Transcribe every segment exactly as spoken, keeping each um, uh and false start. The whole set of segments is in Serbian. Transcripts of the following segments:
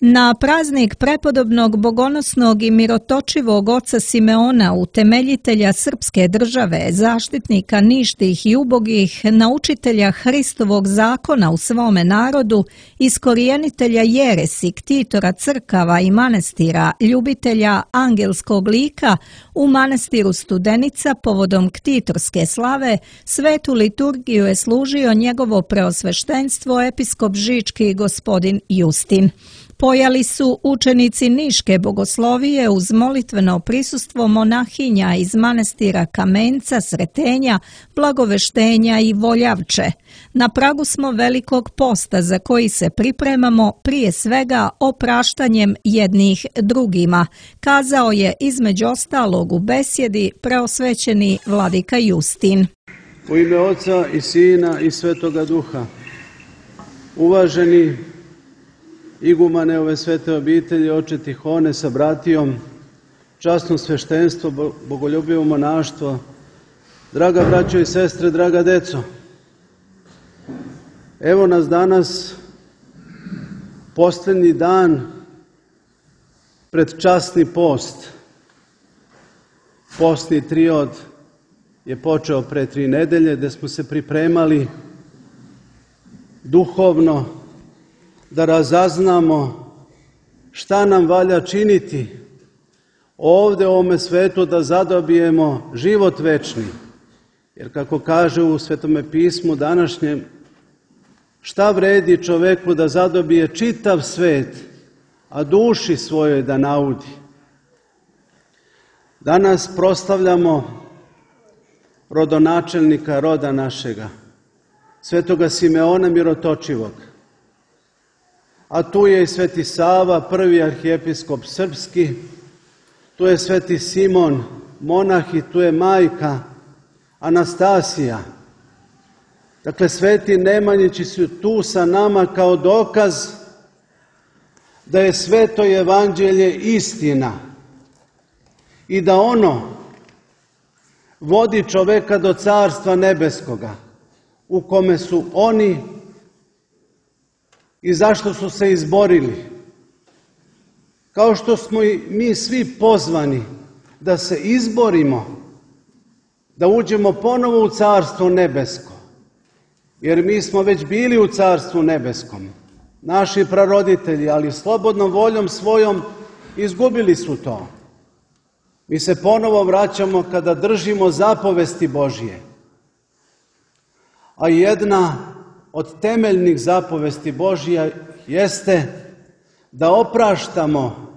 Na praznik prepodobnog, bogonosnog i mirotočivog oca Simeona, utemeljitelja srpske države, zaštitnika ništih i ubogih, naučitelja Hristovog zakona u svome narodu, iskorijenitelja jeresi, ktitora crkava i manastira, ljubitelja angelskog lika, u manastiru Studenica povodom ktitorske slave, svetu liturgiju je služio njegovo preosveštenstvo episkop žički gospodin Justin. Pojali su učenici Niške bogoslovije uz molitveno prisustvo monahinja iz manastira Kamenca, Sretenja, Blagoveštenja i Voljavče. Na pragu smo velikog posta za koji se pripremamo prije svega opraštanjem jednih drugima, kazao je između ostalog u besjedi preosvećeni vladika Justin. U ime Oca i Sina i Svetoga Duha, uvaženi igumane ove svete obitelji, oče Tihone sa bratijom, časno sveštenstvo, bogoljubivo monaštvo, draga braćo i sestre, draga deco. Evo nas danas, posljednji dan pred časni post. Postni triod je počeo pre tri nedelje, gde smo se pripremali duhovno da razaznamo šta nam valja činiti ovde u ovome svetu da zadobijemo život večni. Jer kako kaže u Svetome pismu današnjem, šta vredi čoveku da zadobije čitav svet, a duši svojoj da naudi. Danas proslavljamo rodonačelnika roda našega, svetoga Simeona Mirotočivog. A tu je i sveti Sava, prvi arhijepiskop srpski, tu je sveti Simon, monah, i tu je majka Anastasija. Dakle, sveti Nemanjići su tu sa nama kao dokaz da je sveto evanđelje istina i da ono vodi čoveka do carstva nebeskoga, u kome su oni i zašto su se izborili. Kao što smo i mi svi pozvani da se izborimo, da uđemo ponovo u carstvo nebesko, jer mi smo već bili u carstvu nebeskom. Naši praroditelji, ali slobodnom voljom svojom, izgubili su to. Mi se ponovo vraćamo kada držimo zapovesti Božije. A jedna od temeljnih zapovesti Božija jeste da opraštamo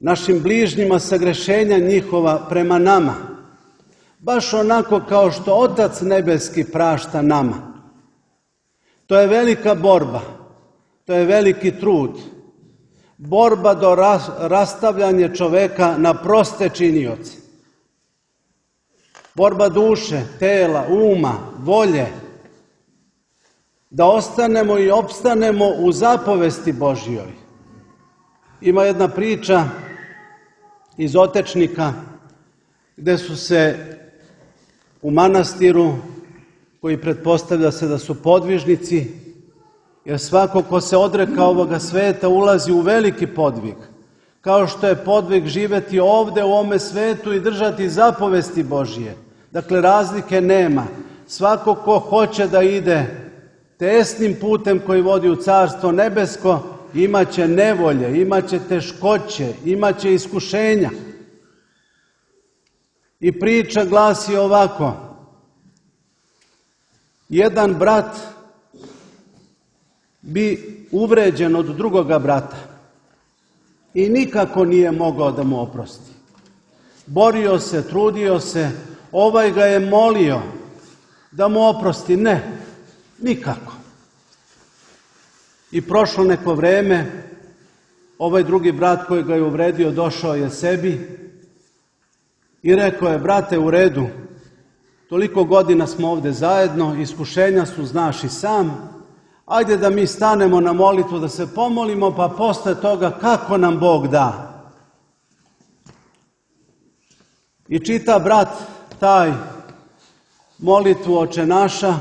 našim bližnjima sagrešenja njihova prema nama, baš onako kao što Otac nebeski prašta nama. To je velika borba, to je veliki trud, borba do rastavljanja čoveka na proste činioce. Borba duše, tela, uma, volje, da ostanemo i opstanemo u zapovesti Božjoj. Ima jedna priča iz Otečnika, gde su se u manastiru, koji pretpostavlja se da su podvižnici, jer svako ko se odreka ovoga sveta ulazi u veliki podvig, kao što je podvig živeti ovde u ovome svetu i držati zapovesti Božje. Dakle, razlike nema. Svako ko hoće da ide tesnim putem koji vodi u carstvo nebesko, imaće nevolje, imaće teškoće, imaće iskušenja. I priča glasi ovako: jedan brat bi uvređen od drugoga brata i nikako nije mogao da mu oprosti. Borio se, trudio se, ovaj ga je molio da mu oprosti. Ne, nikako. I prošlo neko vreme, ovaj drugi brat koji ga je uvredio došao je sebi i rekao je: brate, u redu, toliko godina smo ovde zajedno, iskušenja su, znaš i sam, ajde da mi stanemo na molitvu, da se pomolimo, pa posle toga kako nam Bog da. I čita brat taj molitvu Oče naša,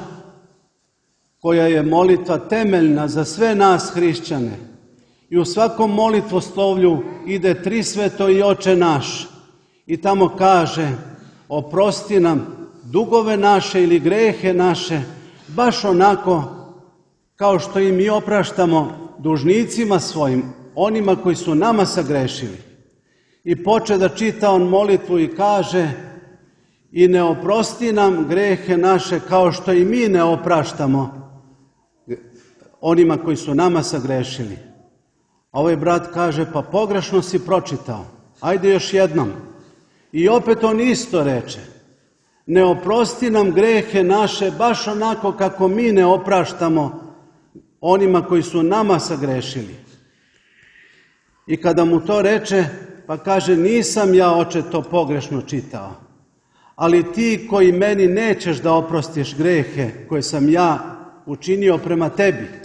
koja je molitva temeljna za sve nas hrišćane. I u svakom molitvoslovlju ide Trisveto i Oče naš. I tamo kaže, oprosti nam dugove naše ili grehe naše, baš onako kao što i mi opraštamo dužnicima svojim, onima koji su nama sagrešili. I poče da čita on molitvu i kaže, i ne oprosti nam grehe naše kao što i mi ne opraštamo onima koji su nama sagrešili. A ovaj brat kaže, pa pogrešno si pročitao, ajde još jednom. I opet on isto reče, ne oprosti nam grehe naše baš onako kako mi ne opraštamo onima koji su nama sagrešili. I kada mu to reče, pa kaže, nisam ja, oče, to pogrešno čitao, ali ti koji meni nećeš da oprostiš grehe koje sam ja učinio prema tebi,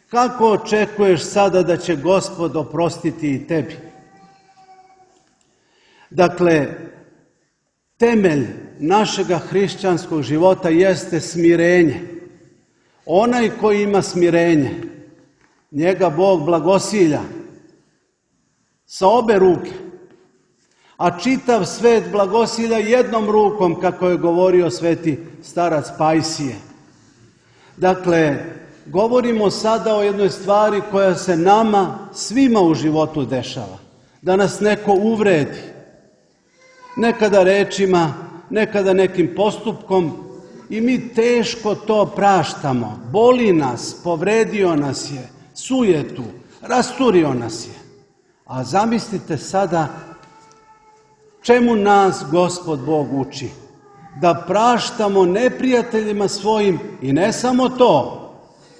kako očekuješ sada da će Gospod oprostiti i tebi? Dakle, temelj našega hrišćanskog života jeste smirenje. Onaj koji ima smirenje, njega Bog blagosilja sa obe ruke, a čitav svet blagosilja jednom rukom, kako je govorio sveti starac Pajsije. Dakle, govorimo sada o jednoj stvari koja se nama svima u životu dešava. Da nas neko uvredi, nekada rečima, nekada nekim postupkom, i mi teško to praštamo. Boli nas, povredio nas je, sujetu, rasturio nas je. A zamislite sada čemu nas Gospod Bog uči? Da praštamo neprijateljima svojim i ne samo to,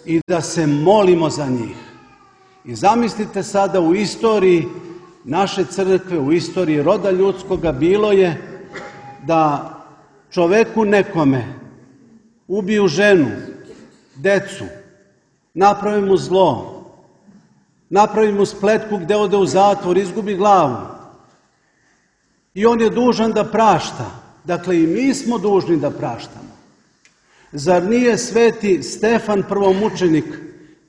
i da se molimo za njih. I zamislite sada u istoriji naše crkve, u istoriji roda ljudskoga bilo je da čoveku nekome ubiju ženu, decu, napravi mu zlo, napravi mu spletku gde ode u zatvor, izgubi glavu. I on je dužan da prašta. Dakle, i mi smo dužni da praštamo. Zar nije sveti Stefan prvomučenik,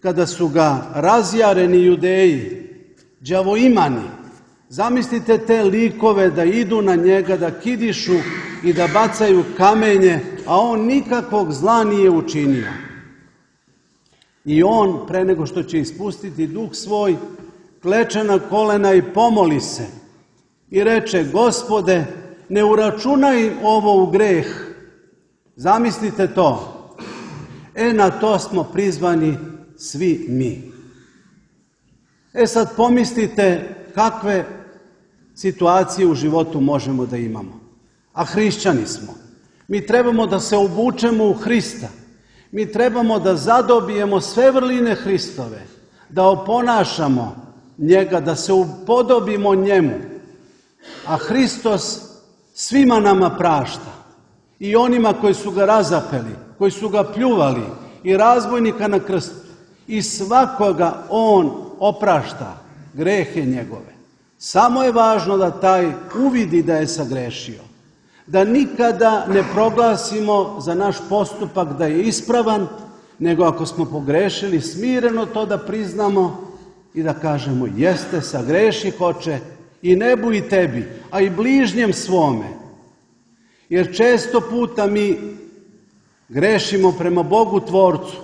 kada su ga razjareni Judeji, đavoimani, zamislite te likove da idu na njega, da kidišu i da bacaju kamenje, a on nikakvog zla nije učinio. I on, pre nego što će ispustiti duh svoj, kleče na kolena i pomoli se. I reče, Gospode, ne uračunaj ovo u greh. Zamislite to. E, na to smo prizvani svi mi. E sad pomislite kakve situacije u životu možemo da imamo. A hrišćani smo. Mi trebamo da se obučemo u Hrista. Mi trebamo da zadobijemo sve vrline Hristove, da oponašamo njega, da se upodobimo njemu. A Hristos svima nama prašta. I onima koji su ga razapeli, koji su ga pljuvali, i razbojnika na krstu. I svakoga on oprašta grehe njegove. Samo je važno da taj uvidi da je sagrešio. Da nikada ne proglasimo za naš postupak da je ispravan, nego ako smo pogrešili, smireno to da priznamo i da kažemo, jeste, sagreših, Oče, i nebu i tebi, a i bližnjem svome. Jer često puta mi grešimo prema Bogu Tvorcu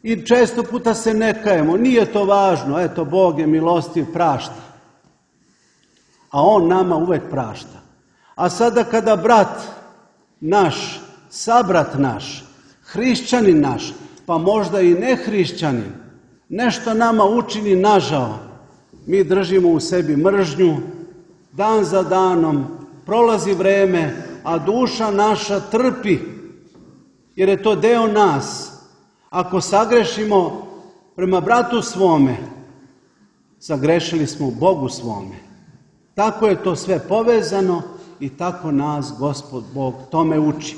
i često puta se ne kajemo. Nije to važno, eto, Bog je milostiv, prašta. A on nama uvek prašta. A sada kada brat naš, sabrat naš, hrišćanin naš, pa možda i nehrišćanin, nešto nama učini nažao, mi držimo u sebi mržnju, dan za danom, prolazi vreme, a duša naša trpi, jer je to deo nas. Ako sagrešimo prema bratu svome, sagrešili smo Bogu svome. Tako je to sve povezano i tako nas Gospod Bog tome uči.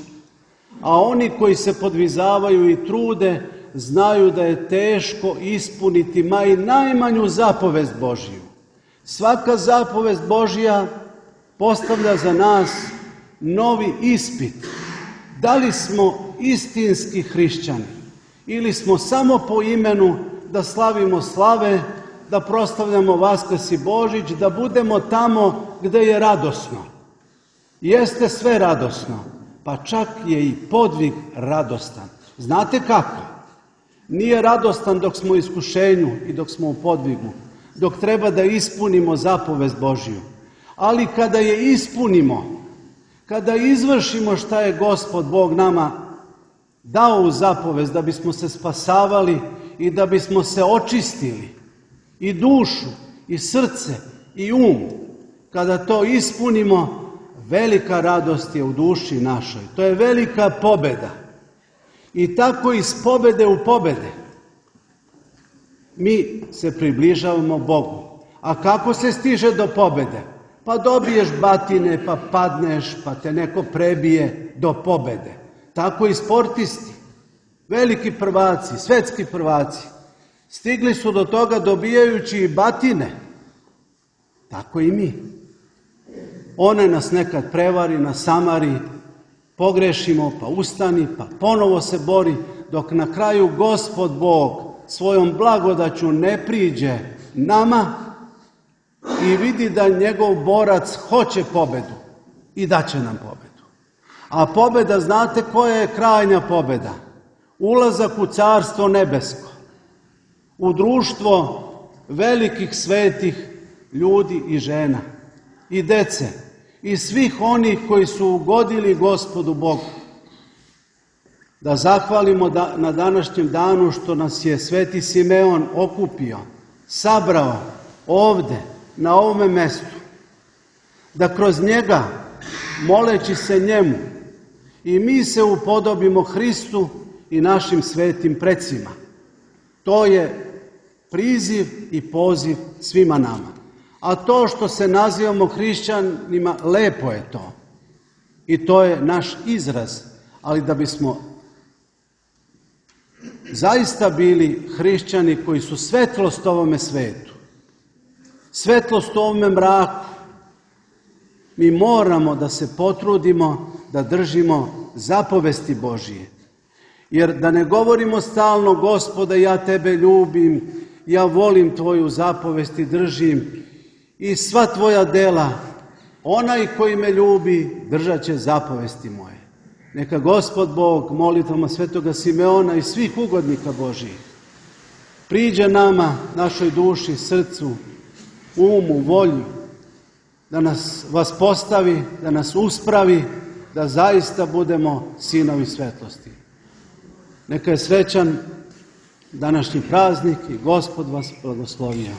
A oni koji se podvizavaju i trude, znaju da je teško ispuniti ma i najmanju zapovest Božiju. Svaka zapovest Božja postavlja za nas novi ispit. Da li smo istinski hrišćani? Ili smo samo po imenu da slavimo slave, da proslavljamo Vaskrs i Božić, da budemo tamo gde je radosno. Jeste sve radosno, pa čak je i podvig radostan. Znate kako? Nije radostan dok smo u iskušenju i dok smo u podvigu, dok treba da ispunimo zapovest Božiju. Ali kada je ispunimo, kada izvršimo šta je Gospod Bog nama dao u zapovest da bismo se spasavali i da bismo se očistili, i dušu, i srce, i um, kada to ispunimo, velika radost je u duši našoj. To je velika pobeda. I tako iz pobede u pobede mi se približavamo Bogu. A kako se stiže do pobede? Pa dobiješ batine, pa padneš, pa te neko prebije do pobede. Tako i sportisti, veliki prvaci, svetski prvaci, stigli su do toga dobijajući i batine. Tako i mi. One nas nekad prevari, nasamari, pogrešimo, pa ustani, pa ponovo se bori, dok na kraju Gospod Bog svojom blagodaću ne priđe nama i vidi da njegov borac hoće pobedu i daće nam pobedu. A pobeda, znate koja je krajnja pobeda? Ulazak u Carstvo nebesko, u društvo velikih svetih ljudi i žena, i dece, i svih onih koji su ugodili Gospodu Bogu. Da zahvalimo da, na današnjem danu što nas je Sveti Simeon okupio, sabrao ovde, na ovome mestu, da kroz njega, moleći se njemu, i mi se upodobimo Hristu i našim svetim precima. To je priziv i poziv svima nama. A to što se nazivamo hrišćanima, lepo je to. I to je naš izraz. Ali da bismo zaista bili hrišćani koji su svetlost ovome svetu, svetlost ovome mraku, mi moramo da se potrudimo da držimo zapovesti Božije. Jer da ne govorimo stalno, Gospode, ja tebe ljubim, ja volim tvoju zapovest i držim i sva tvoja dela, onaj koji me ljubi držat će zapovesti moje. Neka Gospod Bog molitvama svetoga Simeona i svih ugodnika Božijih priđe nama, našoj duši, srcu, umu, volju, da nas vaspostavi, da nas uspravi, da zaista budemo sinovi svetlosti. Neka je srećan današnji praznik i Gospod vas blagoslovio.